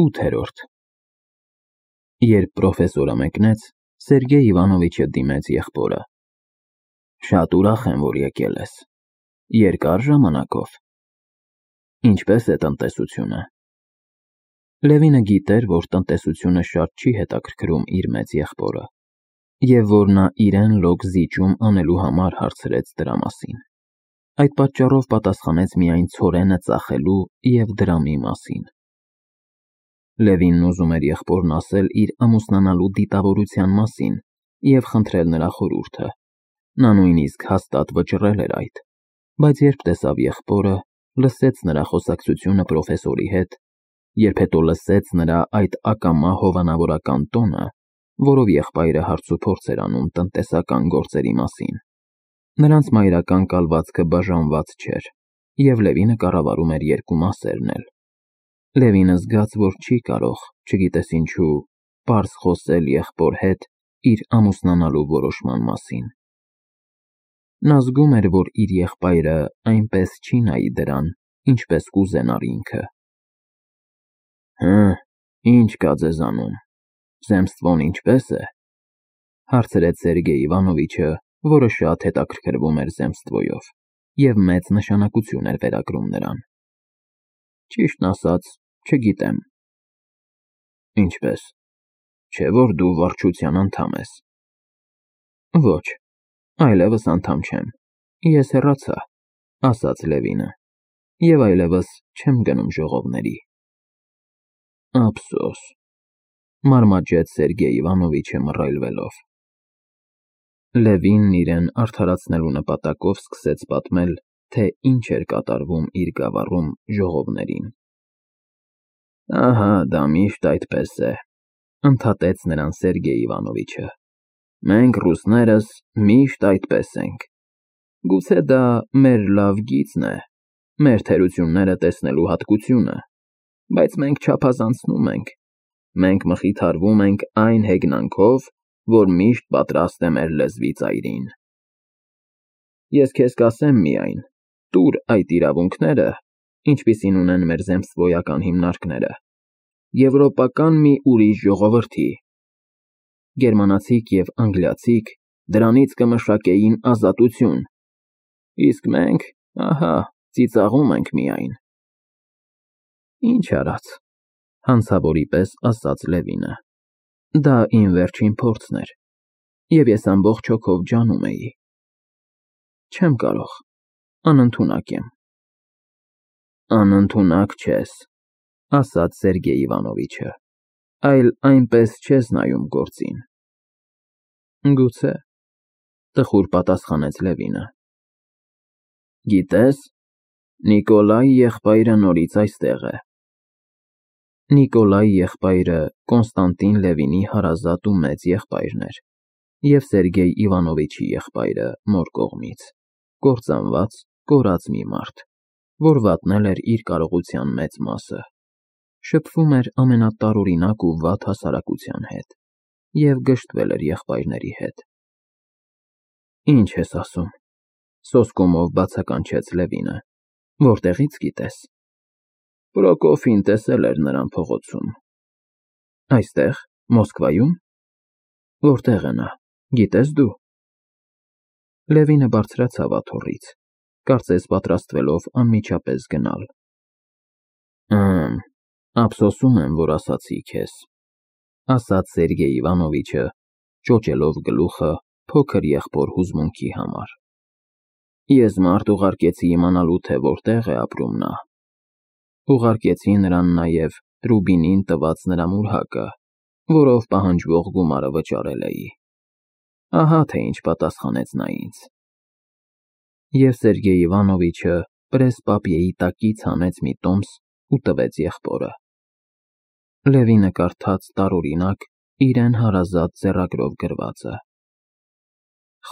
8-րդ Երբ պրոֆեսորը մեկնեց, Սերգեյ Իվանովիչը դիմեց եղբորը. Շատ ուրախ եմ, որ եկել ես։ Երկար ժամանակով։ Ինչպես է տնտեսությունը։ Լևինը գիտեր, որ տնտեսությունը շատ չի հետաքրքրում իր մեծ եղբորը, և որ նա իրեն լոկ զիջում անելու համար հարցրեց դրա մասին։ Այդ պատճառով պատասխանեց միայն ցորենը ծախելու և դրամի մասին։ Լևինն ուզում էր եղբորն ասել իր ամուսնանալու դիտավորության մասին և խնդրել նրա խորհուրդը։ Նա նույնիսկ հաստատ վճռել էր այդ, բայց երբ տեսավ եղբորը, լսեց նրա խոսակցությունը պրոֆեսորի հետ, երբ հետո լսեց նրա այդ ակամա հովանավորական տոնը, որով եղբայրը հարցուփորձ էր անում տնտեսական գործերի մասին, նրանց մայրական կալվածքը բաժանված չէր, և Լևինը կառավարում էր երկու մասերն էլ։ Լևինը զգաց, որ չի կարող, չգիտես ինչու, պարզ խոսել եղբոր հետ իր ամուսնանալու որոշման մասին։ Նա զգում էր, որ իր եղբայրը այնպես չի նայի դրան, ինչպես կուզենար ինքը։ Ինչ կա ձեզանում, զեմսթվոն ինչպե՞ս է, հարցրեց Սերգեյ Իվանովիչը, որը շատ հետաքրքրվում էր զեմսթվոյով և մեծ նշանակություն էր վերագրում նրան։ Ճիշտն ասած, չգիտեմ։ Ինչպես, չէ՞ որ դու վարչության անդամ ես։ Ոչ, այլևս անդամ չեմ, ես հեռացա, ասաց Լևինը, և այլևս չեմ գնում ժողովների։ Ափսոս, մարմաճեց Սերգեյ Իվանովիչը մռայլվելով։ Լևինն իրեն արդարացնելու նպատակով սկսեց պատմել, թե ինչ էր կատարվում իր գավառում ժողովներին։ Ահա, դա միշտ այդպես է, ընդհատեց նրան Սերգեյ Իվանովիչը։ Մենք ռուսներս միշտ այդպես ենք։ Գուցե դա մեր լավ գիծն է, մեր թերությունները տեսնելու հատկությունը, բայց մենք չափազանցնում ենք։ Մենք մխիթարվում ենք այն հեգնանքով, որ միշտ պատրաստ է մեր լեզվի ծայրին։ Ես քեզ կասեմ միայն, տուր այդ իրավունքները, ինչպիսին ունեն մեր զեմսթվոյական հիմնարկները, եվրոպական մի ուրիշ ժողովրդի։ Գերմանացիք և անգլիացիք դրանից կմշակեին ազատություն, իսկ մենք, ահա, ծիծաղում ենք միայն։ Ինչ արած, հանցավորի պես ասաց Լևինը։ Դա իմ վերջին փորձն էր, և ես ամբողջ հոգով ջանում էի։ Չեմ կարող, անընդունակ եմ։ Անընդունակ չես, ասաց Սերգեյ Իվանովիչը, այլ այնպես չես նայում գործին։ Գուցե, տխուր պատասխանեց Լևինը։ Գիտես, Նիկոլայի եղբայրը նորից այստեղ է։ Նիկոլայի եղբայրը Կոնստանտին Լևինի հարազատ ու մեծ եղբայրն էր, և Սերգեյ Իվանովիչի եղբայրը մոր կողմից, կործանված, կորած մի մարդ, որ վատնել էր իր կարողության մեծ մասը, շփվում էր ամենատարօրինակ ու վատ հասարակության հետ և գժտվել էր եղբայրների հետ։ Ինչ ես ասում, սոսկումով բացականչեց Լևինը, որտեղից գիտես։ Պրոկոֆին տեսել էր նրան փողոցում։ Այստեղ, Մոսկվայում։ Որտեղ է նա, գիտես դու։ Լևինը բարձրացավ աթոռից, կարծես պատրաստվելով անմիջապես գնալ։ Ափսոսում եմ, որ ասացի քեզ, ասաց Սերգեյ Իվանովիչը, ճոճելով գլուխը փոքր եղբոր հուզմունքի համար։ Ես մարդ ուղարկեցի իմանալու, թե որտեղ է ապրում նա։ Ուղարկեցի նրան նաև Ռուբինին տված նրա մուրհակը, որով պահանջվող գումարը վճարել էի։ Ահա թե ինչ պատասխանեց նա ինձ։ Եվ Սերգեյ Իվանովիչը պրես֊պապիեի տակից հանեց մի տոմս ու տվեց եղբորը։ Լևինը կարդաց տարօրինակ, իրեն հարազատ ձեռագրով գրվածը։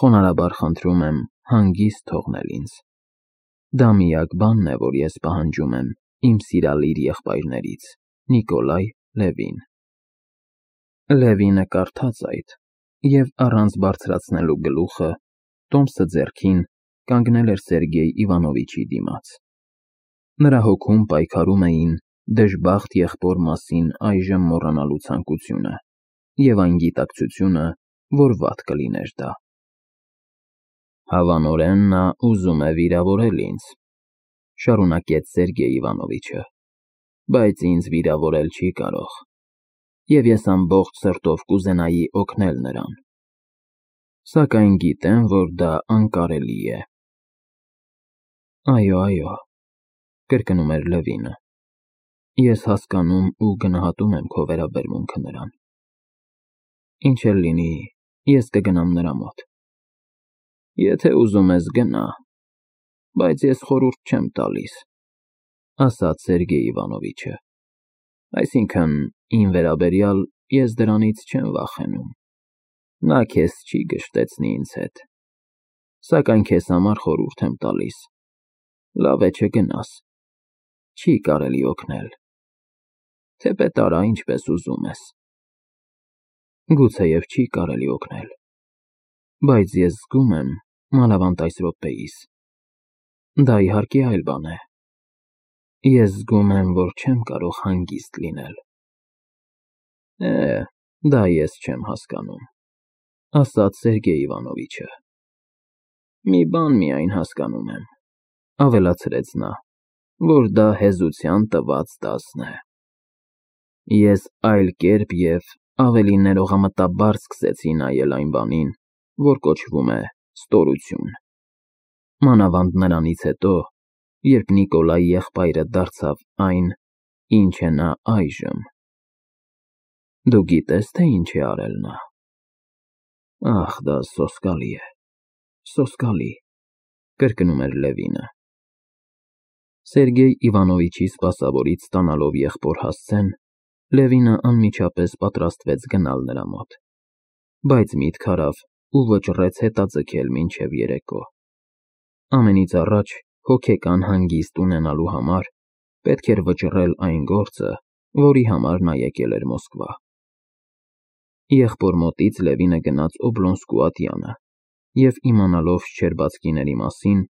Խոնարհաբար խնդրում եմ հանգիստ թողնել ինձ։ Դա միակ բանն է, որ ես պահանջում եմ իմ սիրալիր եղբայրներից, Նիկոլայ Լևին։ Լևինը կարդաց այդ, և առանց բարձրացնելու գլուխը, տոմսը ձեռքին, կանգնել էր Սերգեյ Իվանովիչի դիմաց։ Նրա հոգում պայքարում էին դժբախտ եղբոր մասին այժմ մոռանալու ցանկությունը և այն գիտակցությունը, որ վատ կլիներ դա։ Հավանորեն նա ուզում է վիրավորել ինձ, շարունակեց Սերգեյ Իվանովիչը, բայց ինձ վիրավորել չի կարող, և ես ամբողջ սրտով կուզենայի օգնել նրան, սակայն գիտեմ, որ դա անկարելի է։ Այո, կրկնում էր Լևինը, ես հասկանում ու գնահատում եմ քո վերաբերմունքը նրան։ Ինչ էլ լինի, ես կգնամ նրա մոտ։ Եթե ուզում ես գնա, բայց ես խորհուրդ չեմ տալիս, ասաց Սերգեյ Իվանովիչը, այսինքն իմ վերաբերյալ ես դրանից չեմ վախենում, նա քեզ չի գժտեցնի ինձ հետ, սակայն քեզ համար խորհուրդ եմ տալիս, լավ է չգնաս, չի կարելի օգնել, թեպետ արա ինչպես ուզում ես։ Գուցեև չի կարելի օգնել, բայց ես զգում եմ, մանավանդ այս րոպեիս, դա իհարկե այլ բան է, ես զգում եմ, որ չեմ կարող հանգիստ լինել։ Դա ես չեմ հասկանում, ասաց Սերգեյ Իվանովիչը։ Մի բան միայն հասկանում եմ, ավելացրեց նա, որ դա հեզության տված դասն է։ Ես այլ կերպ և ավելի ներողամտաբար սկսեցի նայել այն բանին, որ կոչվում է ստորություն, մանավանդ նրանից հետո, երբ Նիկոլայի եղբայրը դարձավ այն, ինչ է նա այժմ։ Դու գիտե՞ս, թե ինչ է արել նա։ Ախ, դա սոսկալի է, սոսկալի, կրկնում էր Լևինը։ Սերգեյ Իվանովիչի սպասավորից ստանալով եղբոր հասցեն, Լևինը անմիջապես պատրաստվեց գնալ նրա մոտ, բայց միտք արավ ու վճռեց հետաձգել մինչև երեկո։ Ամենից առաջ հոգեկան հանգիստ ունենալու համար պետք էր վճռել այն գործը, որի համար նա եկել էր Մոսկվա։ Եղբոր մոտից Լևինը գնաց Օբլոնսկու ատյանը և իմանալով շչերբացքիների մասին,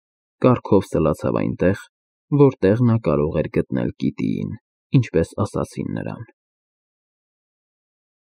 կառքով սլացավ այնտեղ, որտեղ նա կարող էր գտնել Կիտիին, ինչպես ասացին նրան։